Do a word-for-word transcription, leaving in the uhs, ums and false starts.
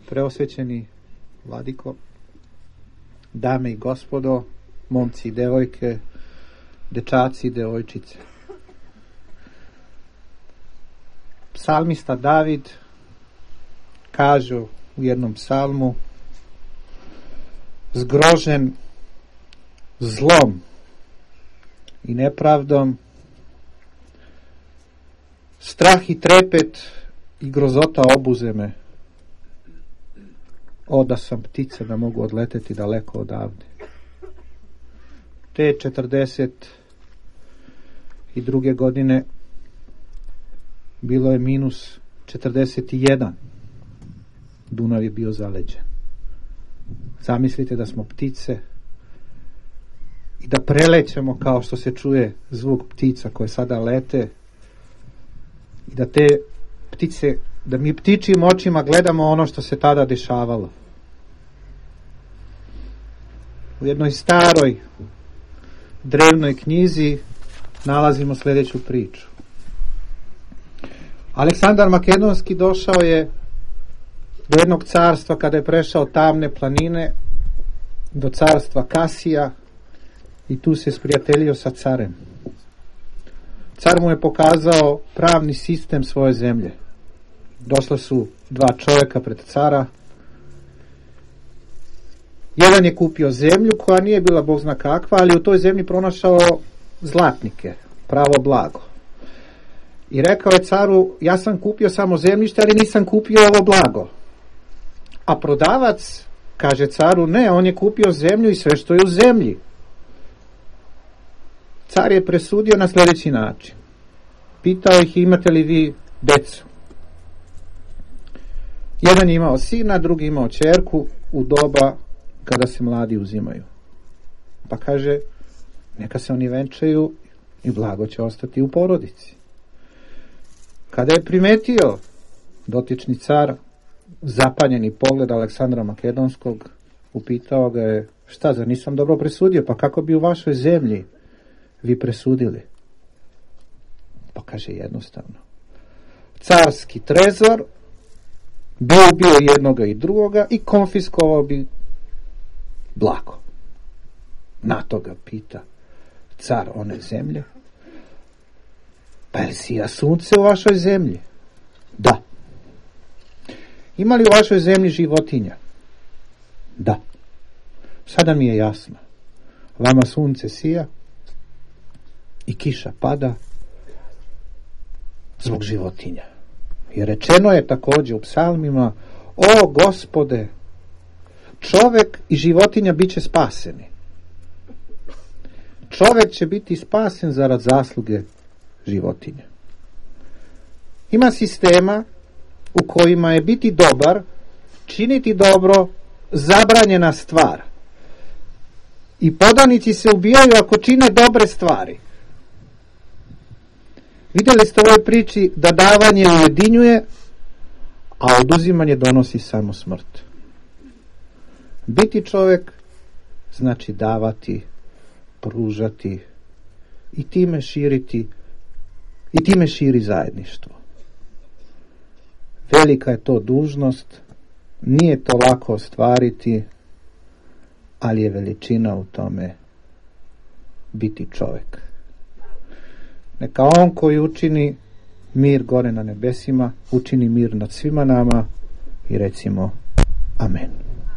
Preosvećeni vladiko, dame i gospodo, momci i devojke, dečaci i devojčice. Psalmista David kaže u jednom psalmu: zgrožen zlom i nepravdom, strah i trepet i grozota obuze me. O, da sam ptice, da mogu odleteti daleko odavde. Te četrdeset i druge godine bilo je minus četrdeset jedan. Dunav je bio zaleđen. Zamislite da smo ptice i da prelećemo kao što se čuje zvuk ptica koje sada lete i da te ptice, da mi ptičijim očima gledamo ono što se tada dešavalo. U jednoj staroj drevnoj knjizi nalazimo sljedeću priču. Aleksandar Makedonski došao je do jednog carstva kada je prešao tamne planine, do carstva Kasija, i tu se sprijateljio sa carem. Car mu je pokazao pravni sistem svoje zemlje. Došla su dva čovjeka pred cara. Jedan je kupio zemlju koja nije bila bog zna kakva, ali u toj zemlji pronašao zlatnike, pravo blago. I rekao je caru: ja sam kupio samo zemljište, ali nisam kupio ovo blago. A prodavac kaže caru: ne, on je kupio zemlju i sve što je u zemlji. Car je presudio na sljedeći način. Pitao ih: imate li vi decu? Jedan je imao sina, drugi imao ćerku u doba kada se mladi uzimaju. Pa kaže: neka se oni venčaju i blago će ostati u porodici. Kada je primetio dotični car zapanjeni pogled Aleksandra Makedonskog, upitao ga je: šta, zar nisam dobro presudio? Pa kako bi u vašoj zemlji vi presudili? Pa kaže: jednostavno. Carski trezor bi ubio jednoga i drugoga i konfiskovao bi blago. Na to ga pita car one zemlje: pa je sija sunce u vašoj zemlji? Da. Ima li u vašoj zemlji životinja? Da. Sada mi je jasno. Vama sunce sija i kiša pada zbog životinja. I rečeno je također u psalmima: o Gospode, čovjek i životinja bit će spaseni. Čovjek će biti spasen zarad zasluge životinja. Ima sistema u kojima je biti dobar, činiti dobro, zabranjena stvar. I podanici se ubijaju ako čine dobre stvari. Vidjeli ste u ovoj priči da davanje ujedinjuje, a oduzimanje donosi samo smrt. Biti čovjek znači davati, pružati i time širiti i time širi zajedništvo. Velika je to dužnost, nije to lako ostvariti, ali je veličina u tome biti čovjek. Neka on koji učini mir gore na nebesima, učini mir nad svima nama i recimo amen.